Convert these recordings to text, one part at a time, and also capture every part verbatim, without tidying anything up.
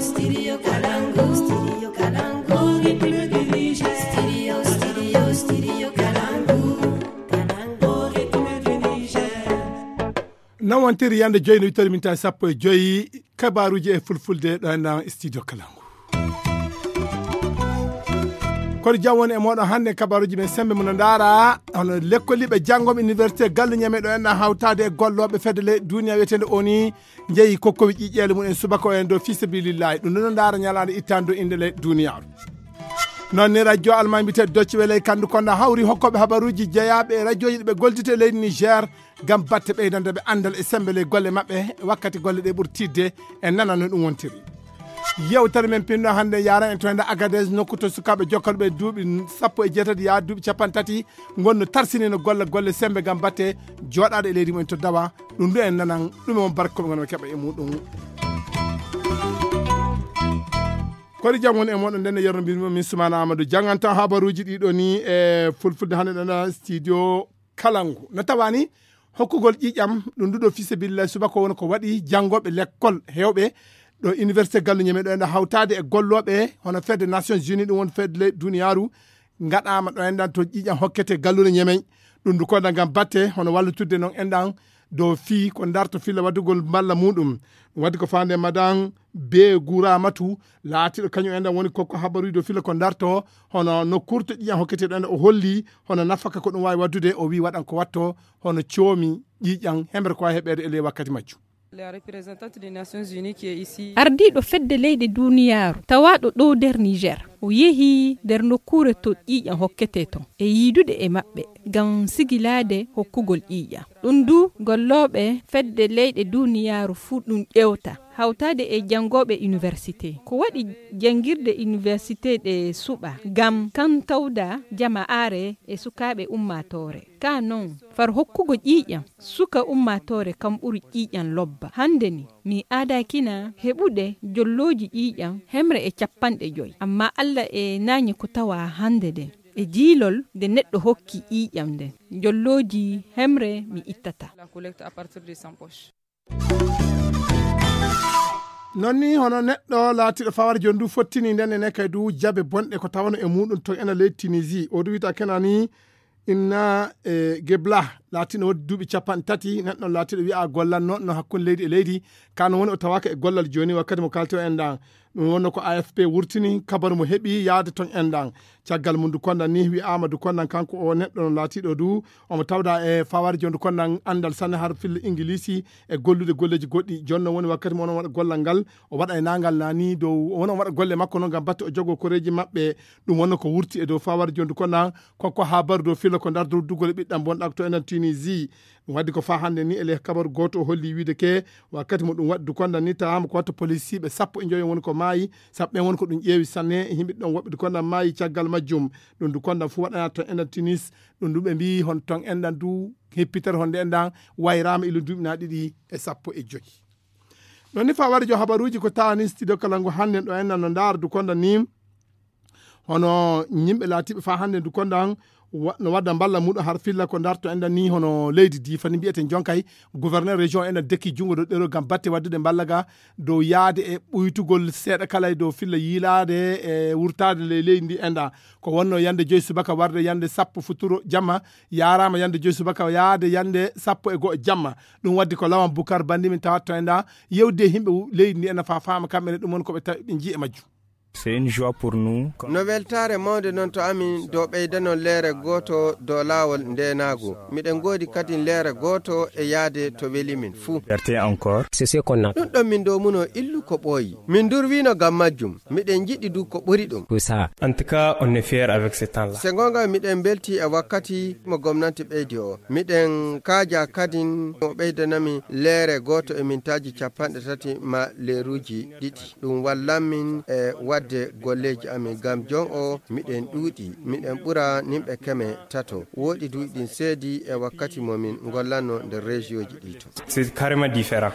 Studio Kalangu, Studio Kalangu, République du Niger. Studio, Studio, Studio Kalangu, Kalangu, République du Niger. Nawantiri yande joyi no wittori minta sappo e joyi, kabaruji e fulfulde ɗo enɗan studio Kalangu. Kono jam woni e moɗon hannde kabaruji men sembe mum no ndaara hono lekkoliɓe janngoɓe université gallu ñame ɗo enɗan hawtade e gollooɓe fedde leyɗe duniya wiyetende oni jeeyi kokkowi ƴiƴƴeele mum en subaka o en dow fisabilillahi ɗum ɗo ndaara ñalaande ittande dow innde leyɗe duniyaaru. Noon ni radio alma mbiyete docci weley kanndu konda hawri hokkooɓe habaruuji jeyaaɓe e radioji ɗi ɓe gollidata e leydi Niger ngam batte ɓeydande ɓe anndal e sembe ley golle maɓɓe wakkati golle ɗe ɓuri tiiɗde e nana no ɗum wontiri. Yewtere men pinno hannde yaran e toyde Agadez nokku to sukaaɓe jokkalɓe duuɓi sappo e jeetati yaa duuɓi capanɗe tati ngonno tarsinino golle golle sembe ngam batte jooɗaade e leydi mum en to dawa ɗum ɗo en nanan ɗum e mon barko ɓe ngonno keɓa e muɗum. Koɗi jam woni e moɗon nden e yerno mbimi min Soumana Amadou janngantan habaruuji ɗiɗo ni e fulfulde hannde ɗana studio Kalangu no tawani hokkugol ƴiƴam ɗum nduɗo fisabilillahi subaka woni ko waɗi janngoɓe lekkol hewɓe ɗo université gallu ñeme ɗo enɗa hawtade e gollooɓe hono fedde Nations Unies ɗum woni fedde leyɗe duniyaaru ngaɗama ɗo enɗan to ƴiƴam hokkete gallure ñemey ɗum ndu koɗa ngam batte hono wallitudde noon enɗan dow fii ko darto filla waddugol mballa muɗum. Ɗum waddi ko fande madan be guramatu laatiɗo kañum enɗan woni kokko habaruji dow filla ko darto hono nokkurto ƴiƴam hokkete ɗo enɗan o holli hono nafaka ko ɗum wawi waddude o wi waɗan ko watto hono coomi ƴiƴam hemre ko wawi heɓede e ley wakkati majjum. Ardiiɗo fedde leyɗe duniyaaru tawaaɗo ɗo nder Niger o yehi nder nokkuure to ƴiiƴam hokkete ton e yiidude e maɓɓe ngam sigilaade hokkugol ƴiiƴam. Ɗum du gollooɓe fedde leyɗe duniyaaru fuu ɗum ƴeewta hawtaade e janngooɓe université. Ko waɗi janngirde université ɗe suɓa ngam kan tawda jama'aare e sukaaɓe ummaatoore. Ka noon far hokkugo ƴiiƴam suka ummaatoore kam ɓuri ƴiiƴam lobba hannde ni mi aadakina heɓude jollooji ƴiiƴam hemre e capanɗe joy amma alla e nañi ko tawa hannde de e jiilol nde neɗɗo hokki ƴiiƴam nden jollooji hemre mi ittata. Noon ni hono neɗɗo laatiiɗo fawar jooni du fottini nden ene kay du jabe bonɗe ko tawano e muɗum to ena leydi Tunisie o du wiyta kena ni inna e gebla laatiino wodde duuɓi capanɗe tati neɗɗo laatiiɗo wiya gollanno no hakkunde leydi e leydi kano woni o tawaka e gollal jooni wakkati mo kalto en ɗan ɗum wonno ko A F P wurtini kabaru mo heɓi yaade ton en ɗan caggal mum du kondan ni wi'ama du kondan kanko o neɗɗo no laatiɗo du omo tawda e fawari jondu kondan andal sanne har filla ingilisi e gollude golleji goɗɗi jonno woni wakkati mo onon waɗa gollal ngal o waɗa e nangal nani dow woni on waɗa golle makko noon ngam batte o jogo koreji maɓɓe ɗum wonno ko wurti e dow fawari jondu kondan kokko habaru dow filla ko ndar durdugol e ɓiɗɗam bonɗak to enen Tunisie. Ɗum waddi ko faa hannde ni e leh kabaru gooto o holli wiide ke wakkati mo ɗum waɗi du kondan ni tawaama ko watta polisiiɓe sappo e njoyo woni ko maayi sappo ɓen woni ko ɗum ƴeewi sanne e yimɓe ɗon woɓɓe du kondan maayi caggal majjum. Ɗum du kondan fu waɗana ton enɗan tinis ɗum du ɓe mbi hon ton enɗan du hippitere honde enɗan wayraama ilo duuɓi na ɗiɗi e sappo e joyi. Ɗon ni faa waɗi jo habaruuji ko taani studio kalangu hannde ɗo enɗan no ndaara du kondan ni hono yimɓe laatiiɓe faa hannde ndu kondan no wadda mballa muɗum har filla ko darto enɗan ni hono leydi di fani mbiyeten jonkay gouverneur région enɗan dekki junngo dow ɗero ngam batte waddude mballa ga dow yaade e ɓuytugol seeɗa kala e dow filla yiilaade e wurtaade ley leydi ndi enɗan ko wonno yande joyi subaka warde yande sappo futuro jamma yaaraama yande joyi subaka yaade yande sappo e go'o jamma. Ɗum waddi ko lawan bukar bandi min tawat to enɗan yewde himɓe leydi ndi enɗan faa faama kamɓe ne ɗum woni ko ɓe tawi ɓe nji e majjum. C'est une joie pour nous. No weltaare mawnde noon to amin dow ɓeydanon leere gooto dow laawol ndeenaagu. Miɗen ngoodi kadi leere gooto e yaade to weli min fuu. Fierté encore. C'est ce qu'on attend. Ɗum ɗon min dow muno illu ko ɓooyi. Min ndurwiino ngam majjum. Miɗen njiɗi du ko ɓuri ɗum. Ko ça. En tout cas, on est fier avec ce temps-là. Se ngoonga miɗen mbelti e wakkati mo gomnanti ɓeydi o. Miɗen kaaja kadin mo ɓeydanami leere gooto e mintaaji capanɗe tati ma leeruuji ɗiɗi. Ɗum wallan min e waɗde golleeji amin ngam jon o miɗen ɗuuɗi, miɗen ɓura nimɓe keme tato. Wooɗi duuɗi ɗin seedi e wakkati mo min ngollanno nder région ji ɗi to. C'est carrément différent.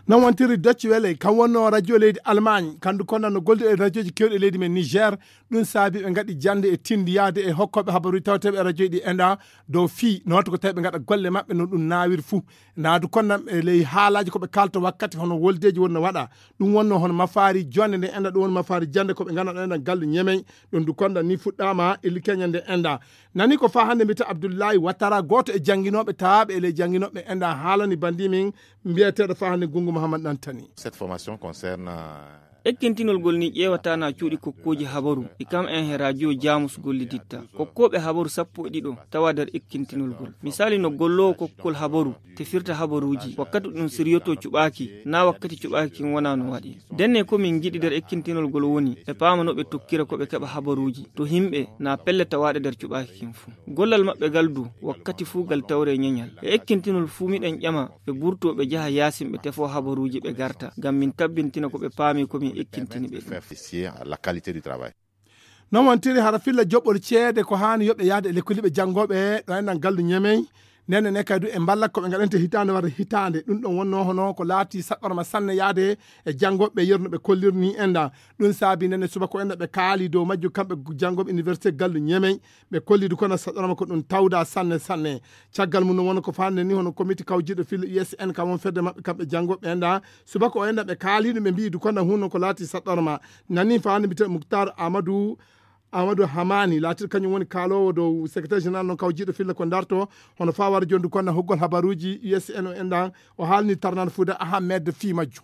Non wontiri Deutsche Welle, kan wonno radio leydi Allemagne, kandu konna no goldi e radioji kewɗi e leydi men Niger. Ɗum saabi ɓe ngaɗi jannde e tindi yahde e hokkooɓe habaruuji tawteeɓe e radioji ɗi enda dow fii no watta ko tawi ɓe ngaɗa golle maɓɓe no ɗum naawiri fuu. Naadu konna e ley haalaaji ko ɓe kaalta wakkati hono woldeeji wonno waɗa. Ɗum wonno hono mafaari jonde nde enda, ɗum woni mafaari jannde ko ɓe ngannduɗaa enda gallu ñemey. Ɗum du konna ni fuɗɗaama illi keña nde enda. Nani ko faa hannde mbiyata Abdullahi Watara, gooto e jannginooɓe tawaaɓe e ley jannginooɓe enda haalani banndi min mbiyeteeɗo faa hannde Gunngu Muhammad Ɗantani. Cette formation concerne, euh, ekkintinol gol ni ƴeewata na cuuɗi kokkooji habaru, e kam en he radio Jamus golliditta. Kokkooɓe habaru sappo e ɗiɗo tawa nder ekkintinol gol. Misali no golloowo kokkol habaru tefirta habaruuji, wakkati ɗum siryoto cuɓaaki, na wakkati cuɓaaki kin wona no waɗi. Denne ko min ngiɗi nder ekkintinol gol woni, ɓe paama no ɓe tokkira ko ɓe keɓa habaruuji, to himɓe na pelle tawaaɗe nder cuɓaaki kin fuu. Gollal maɓɓe gal du, wakkati fuu gal tawre ñeñal. E ekkintinol fuu miɗen ƴama, ɓe burto ɓe jaha yaasin ɓe tefo habaruuji ɓe garta, ngam min tabbintina ko ɓe paami ko min ekkintini ɓe ɗum. Faire vérifier la qualité du travail. Non wontiri hara filla joɓɓol ceede ko haani yoɓe yahde e lekkolliɓe janngooɓe ɗo enɗan gallu ñemey. Nene ne kadi e mballa ko ɓe ngaɗante hitaande warde hitaande. Ɗum ɗon wonno hono ko laati saɗɗorma sanne yahde e janngooɓe yerno ɓe kollirni enda. Ɗum saabi nene subaka o enda ɓe kaali dow majju kamɓe janngooɓe université gallu ñemey. Ɓe kolli du kono saɗɗorma ko ɗum tawda sanne sanne. Caggal mum no wona ko faande ni hono komiti kawjiɗo filla U S N kam won fedde maɓɓe kamɓe janngooɓe enda. Subaka o enda ɓe kaali ɗum ɓe mbi'i du kono hunno ko laati saɗɗorma. Nani faande mbiyetee Muktar Amadou Amadou Hamani, laatiiɗo kañum woni kaaloowo dow secrétaire général non kawjiiɗo filla ko ndarto, hono faa wara jondu konna hoggol habaruuji U S N o enɗan, o haalni tarnan Fuuda Ahmed fii majju.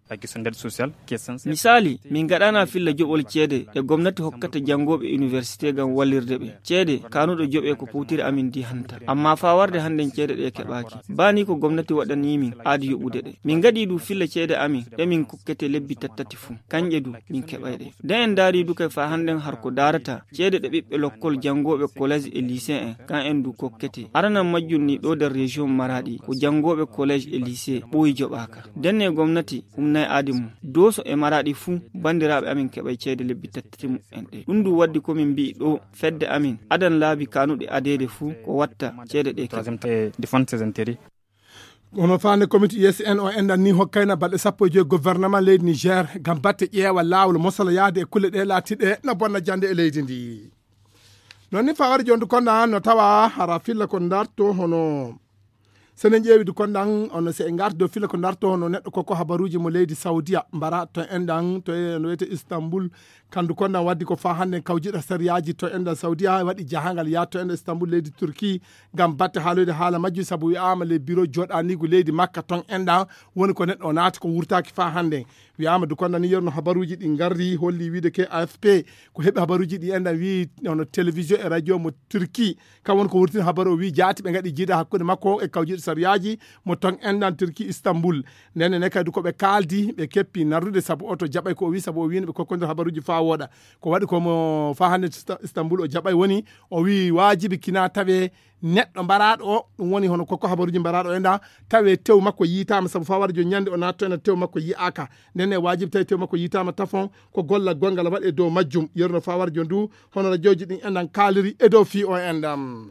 La question d'aide sociale qui est censée. Misali, min ngaɗana filla joɓol ceede ɗe gomnati hokkata janngooɓe université ngam wallirde ɓe. Ceede kanuɗo joɓe ko powtiri amin di hanta. Amma faa warde hannden ceede ɗe keɓaaki. Bani ko gomnati waɗani min aadi yoɓude ɗe. Min ngaɗi du filla ceede amin ɗe min kokkete lebbi tattati fuu. Kanƴe du min keɓay ɗe. Nde en ndaari du kay faa hannden har ko daarata ceede ɗe ɓiɓɓe lokkol janngooɓe collège e lycée en, kan en du kokkete. Aranan majjum ni ɗo nder région Maradi ko janngooɓe collège e lycée ɓooyi joɓaaka. Ndenne gomnati humnay aadi mum. Dooso e Maradi fuu banndiraaɓe amin keɓay ceede lebbi tattati mu'en ɗe. Ɗum du waddi ko min mbi'i ɗo fedde amin adan laabi kanuɗe adeede fuu ko watta ceede ɗe keɓa. Troisième, euh, défendre ses intérêts. Kono faande komiti U S N o enɗan ni hokkayna balɗe sappo e joy gouvernement leydi Niger ngam batte ƴeewa laawol mosala yahde e kulle ɗe laatiɗe no bonna jannde e leydi ndi. Non ni fawari jondu konna no tawa hara filla ko ndarto hono senen ƴeewi du konɗan on se en ngarti dow filla ko ndarto hono neɗɗo koko habaruuji mo leydi Saudiya mbara to enɗan to e no wiyete Istanbul. Kandu konɗan waddi ko faa hannde kawjiɗo sariyaaji to enɗan Saudiya waɗi jahangal yaa to enɗan Istanbul leydi Turki ngam batte haaloyde haala majjum, sabu wi'aama le biro jooɗaniigu leydi Makka ton enɗan woni ko neɗɗo o naati ko wurtaaki faa hannde. Wi'aama du konɗan ni yerno habaruuji ɗi ngarri holli wiide ke A F P ko heɓi habaruuji ɗi enɗan wi'i hono télévision e radio mo Turki kam woni ko wurtini habaru o wi'i jaati ɓe ngaɗi jiida hakkunde makko e kawjiɗo sariyaaji mo ton enɗan Turki Istanbul. Ndenne ne kadi ko ɓe kaaldi ɓe keppi narrude sabu oto jaɓay ko o wi'i sabu o wiino ɓe kokkondir habaruuji faa wooɗa. Ko waɗi ko mo faa hannde Ista-, Istanbul o jaɓay woni o wi'i waajibi kina tawe neɗɗo mbaraaɗo o, ɗum woni hono kokko habaruuji mbaraaɗo o enɗan, tawe tew makko yiitaama sabu faa wara jo ñande o naatto enɗan tew makko yi'aaka. Ndenne waajibi tawi tew makko yiitaama tafon ko golla gonngal waɗe dow majjum. Yerno faa wara jo ndu hono rajooji ɗin enɗan kaaliri e dow fii o enɗan.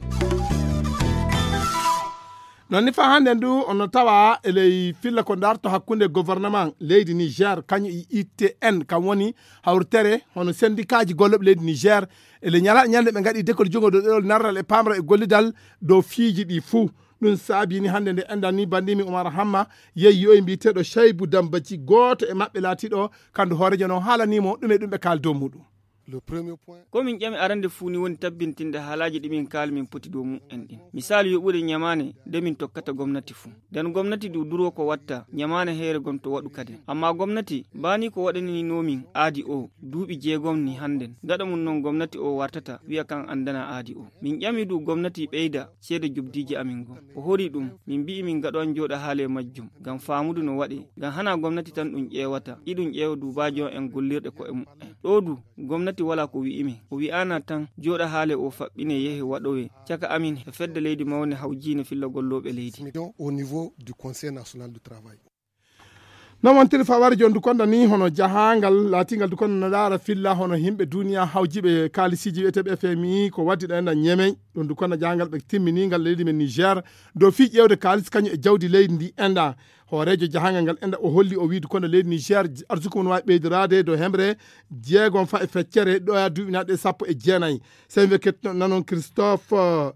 Non ni faa hannde ndu ono tawa e ley filla ko ndarto hakkunde gouvernement leydi Niger kañum e I T N kam woni hawritere hono sendikaaji gollooɓe leydi Niger e le ñala ñande ɓe ngaɗi dekol jungo dow ɗerol narral e pamral e gollidal dow fiiji ɗi fuu. Ɗum saabi ni hannde nde enɗan ni banndimi Umar Hamma yehi yoyi mbiyeteeɗo Shaybu Dambaji gooto e maɓɓe laatiiɗo kandu hoorejo non haalanii mo ɗum e ɗum ɓe kaali dow muɗum. Ko min ƴami arande fuu ni woni tabbintinde haalaaji ɗi min kaali min poti dow mu'en ɗin. Misaalu yoɓude ñamaane nde min tokkata gomnati fuu. Nden gomnati du duroo ko watta ñamaane heere gon to waɗu kaden. Amma gomnati baani ko waɗaninoo min aadi o duuɓi jeegom ni hannden. Gaɗa mum non gomnati o wartata wi'a kan anndana aadi o. Min ƴami du gomnati ɓeyda ceede jubdiiji amin gon. O hori ɗum, min mbi'i min gaɗo an jooɗa haale majjum, ngam faamudu no waɗe, ngam hanaa gomnati tan ɗum ƴeewata, iɗum ƴeewa duubaajo en gollirɗe ko'e mu'en. Ɗoo du, gomnati walaa ko wi'i min. O wi'aana tan jooɗa haale o faɓɓine yehe waɗowe caka amin e fedde leydi mawnde hawjiinde filla gollooɓe leydi. Au niveau du Conseil national du travail. Non wontiri fawari jon dukonda ni hono jahangal laatingal dukonda no laara filla hono himɓe duniya hawjiɓe kaalisiiji wiyeteeɓe F M I ko waddi ɗo enɗan Ñemey. Ɗum dukonda jahangal ɓe timmini ngal leydi men Niger dow fii ƴeewde kaalis kañum e jawdi leydi ndi enɗa. Hooreejo jahangal ngal enɗa o holli o wiide kono leydi Niger arsuku mum waawi ɓeydoraade dow hemre jeegom fa e feccere ɗo e duuɓi naɗe sappo e jeenayi. Sen we kettuno nanon Christophe.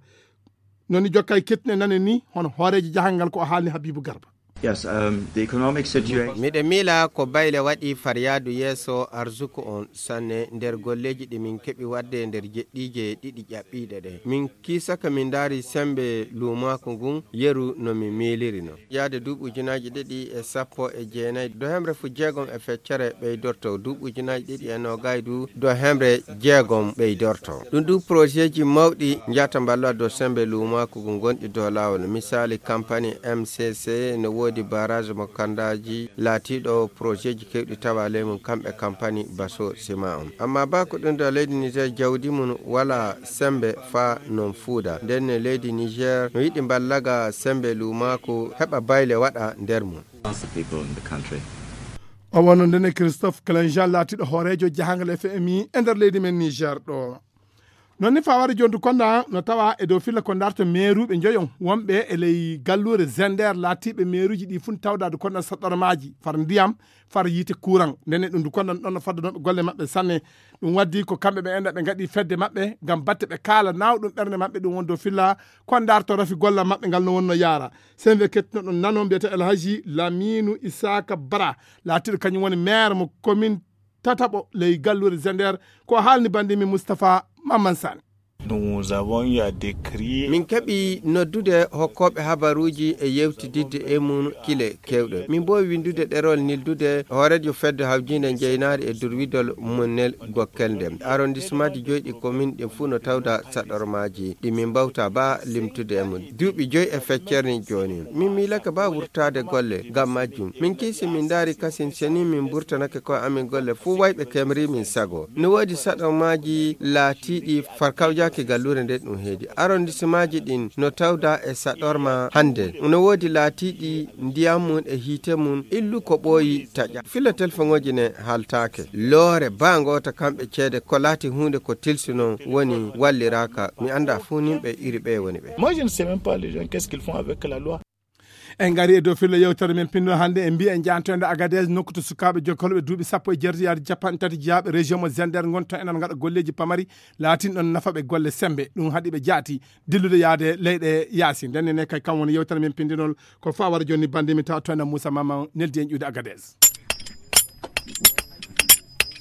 Noni jokkay kettuno nane ni hono hooreejo jahangal ko o haalni Habibu Garba. Yes, um, the economic situation. Miɗe miila ko bayle waɗi faryaadu yeeso arsuku on sanne nder golleeji ɗi min keɓi waɗde nder jeɗɗiije ɗiɗi ƴaɓɓiiɗe ɗe. Min kiisaka min ndaari sembe luumaaku ngun yeru no min miiliri no. Yaade duuɓi ujunaaji ɗiɗi e sappo e jeenayi do hemre fu jeegom e feccere ɓeydorto, duuɓi ujunaaji ɗiɗi e noogay du do hemre jeegom ɓeydorto. Ɗum du projetji mawɗi njata mballa dow sembe luumaaku ngu gonɗi dow laawol. Misaali, kampani M C C no woodi barrage mo kandaaji laatiiɗo projetji kewɗi tawa ley mum kamɓe kampani baso sima on. Amma ba ko ɗum ɗo leydi Niger jawdi mum wala sembe fa non fuuda. Nden ne leydi Niger no yiɗi mballaga sembe luumaaku heɓa bayle waɗa nder mum. Lots of people in the country. O wonno ndene Christophe Clenjean laatiiɗo hooreejo jahangal F M I e nder leydi men Niger ɗo. Non ni fawari jontu konda no tawa e dow filla ko darta meeruɓe njoyon wonɓe e ley galluure Zender laatiiɓe meeruji ɗi fun tawdaade konda saɗɗormaaji far ndiyam far yiite kuran. Ndene ɗum du konda ɗon no faddanooɓe golle maɓɓe sanne. Ɗum waddi ko kamɓe ɓe enda ɓe ngaɗi fedde maɓɓe ngam batte ɓe kaala nawɗum ɓernde maɓɓe ɗum won dow filla ko darto rafi golla maɓɓe ngal no wonno yaara. Sen we kettuno ɗum nanon mbiyata El Haji Laminu Isaka Bara laatiiɗo kañum woni maire mo commune tataɓo ley galluure Zender ko haalni bandi mi Moustapha Mamman Sane. Nous avons eu à décrire. Min keɓi noddude hokkooɓe habaruuji e yewtididde e mum kile kewɗe. Min mboowi winndude ɗerol nildude hooreejo fedde hawjiinde njeynaari e durwidol mum nel gokkel nde. Arrondissement ji joyi ɗi commune ɗin fuu no tawda saɗormaaji ɗi min mbawta ba limtude e mum. Duuɓi joyi e feccere ni jooni. Min miilake ba wurtaade golle ngam majjum. Min kiisi min ndaari kasin seni min mburtanake koye amin golle fuu wayɓe kemri min sago. No woodi saɗormaaji laatiiɗi farkawjaaki galluure nde ɗum heedi. Arrondissemaaji ɗin no tawda e saɗorma hannde. No woodi laatiiɗi ndiyam mum e hiite mum illu ko ɓooyi taƴa. Filla telfoŋooji ne haaltaake. Loore ba ngoota kamɓe ceede ko laati huunde ko tilsi non woni walliraaka. Mi annda fuu nimɓe iri ɓe woni ɓe. Moi, je ne sais même pas les gens, qu'est-ce qu'ils font avec la loi. En ngari e dow filla yewtere men pinndol hannde en mbiya en jaantoyde Agadez nokku to sukaaɓe jokkolɓe duuɓi sappo e jeetati yaade capanɗe tati jeyaaɓe région mo Zender ngon to enɗan ngaɗa golleeji pamari laatin ɗon nafaɓe golle sembe ɗum haɗi ɓe jaati dillude yaade leyɗe yaasi. Nden ne kay kam woni yewtere men pinndinol ko fawara jonni bande mi tawa toyna Moussa Mama neldi en ƴuude Agadez.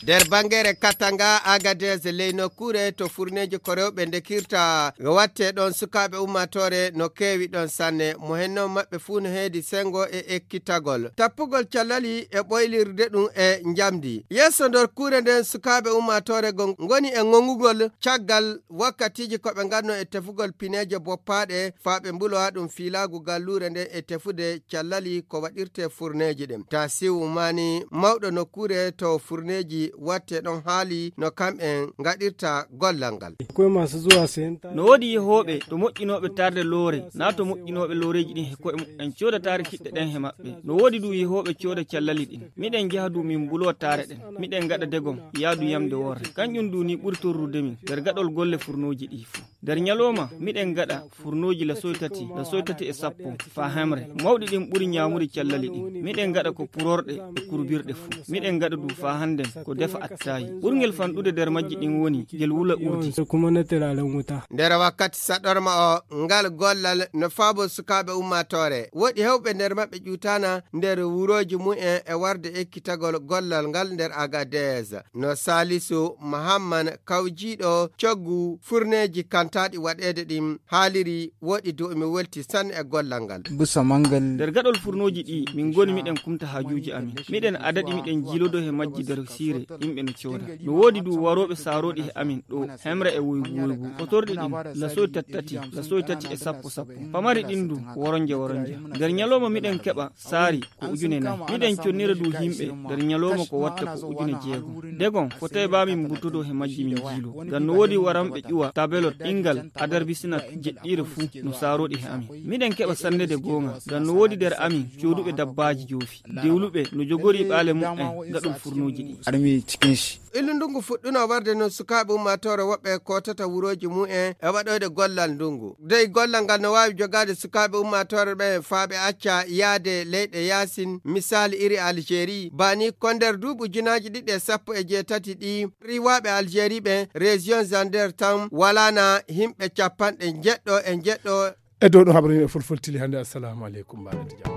Nder bangeere Katanga Agadez ley nokkuure to furneeji ko rewɓe ndekirta watte ɗon sukaaɓe ummaatoore no keewi ɗon sanne mo henno maɓɓe fuu no heedi sengo e ekkitagol tappugol callali e ɓoylirde ɗum e njamdi. Yeeso nder kuure nden sukaaɓe ummaatoore go ngoni e ngongugol caggal wakkatiiji ko ɓe nganno e tefugol pineeje boppaaɗe faa ɓe mbulowa ɗum fiilaagu galluure nden e tefude callali ko waɗirte furneeji ɗin. Tasiu Mani, mawɗo nokkuure to furneeji watte ɗon haali no kam'en ngaɗirta gollal ngal. Akwai masu zuwa sayan ta- No woodi yehooɓe to moƴƴinooɓe taarde loore, naa to moƴƴinooɓe looreeji ɗin he ko'e muɓɓen cooda taare kiɗɗe ɗen he maɓɓe. No woodi du yehooɓe cooda callali ɗin. Miɗen njaha du min mbulo taare ɗen. Miɗen ngaɗa degom, yaadu yamde worre. Kanƴum du ni ɓuri torrude min nder gaɗol golle furnooji ɗi fuu. Nder ñalooma, miɗen ngaɗa furnooji lasoy tati, lasoy tati e sappo, faa hemre. Mawɗi ɗin ɓuri ñaamude callali ɗin. Miɗen ngaɗa ko purorɗe e kurbirɗe fuu. Miɗen ngaɗa du faa hannden ko defa attaayi. Ɓurngel fanɗude nder majji ɗin woni ngel wula urdi. Kuma na turaren wuta. Nder wakkati saɗorma o, ngal gollal no faabo sukaaɓe ummaatoore. Woɗi hewɓe nder maɓɓe ƴuutaana nder wurooji mumen e warde ekkitagol gollal ngal nder Agadez. No Salisu Mahamman kawjiiɗo coggu furneeji kantaaɗi waɗeede ɗin haaliri woɗi dow mi welti sanne e gollal ngal. Busa mangal. Nder gaɗol furnooji ɗi min ngoni miɗen kumta haajuuji amin. Miɗen adaɗi miɗen jiilodo he majji nder siire. Yimɓe no cooda. No woodi du warooɓe saarooɗi he amin ɗo, hemre e woygu woygu. Kotorɗi ɗin, lasoy tati tati, lasoy tati e sappo sappo. Pamari ɗin du, woronje woronje. Nder ñalawma miɗen keɓa saari ko ujune nayi. Miɗen connira du yimɓe nder ñalawma ko watta ko ujune jeegom. Degon, fotay ba min mburtodo he majji min jiilo. Ngam no woodi waranɓe ƴuwa tabelot ingal adarbisina jeɗɗiire fuu no saarooɗi he amin. Miɗen keɓa sannede goonga. Ngam no woodi nder amin cooduɓe dabbaaji joofi. Dewluɓe no jogori ɓaale muɓɓen gaɗol furnuuji ɗi. Armi cikin shi. Illu ndungu fuɗɗuno warde no sukaaɓe ummaatoore woɓɓe kootata wurooji mu'en e waɗoyde gollal ndungu. Dey gollal ngal no waawi jogaade sukaaɓe ummaatoore ɓe faa ɓe acca yaade leyɗe yaasin, misaali iri Algérie. Baa ni ko nder duuɓi ujunaaji ɗiɗi e sappo e jeetati ɗi, riiwaaɓe Algérie ɓe, région Zander tan walaana yimɓe capanɗe njeɗɗo e njeɗɗo. E dow ɗo habaru yimɓe fulfultili hannde. Assalamu aleykum, mbaɗa jam.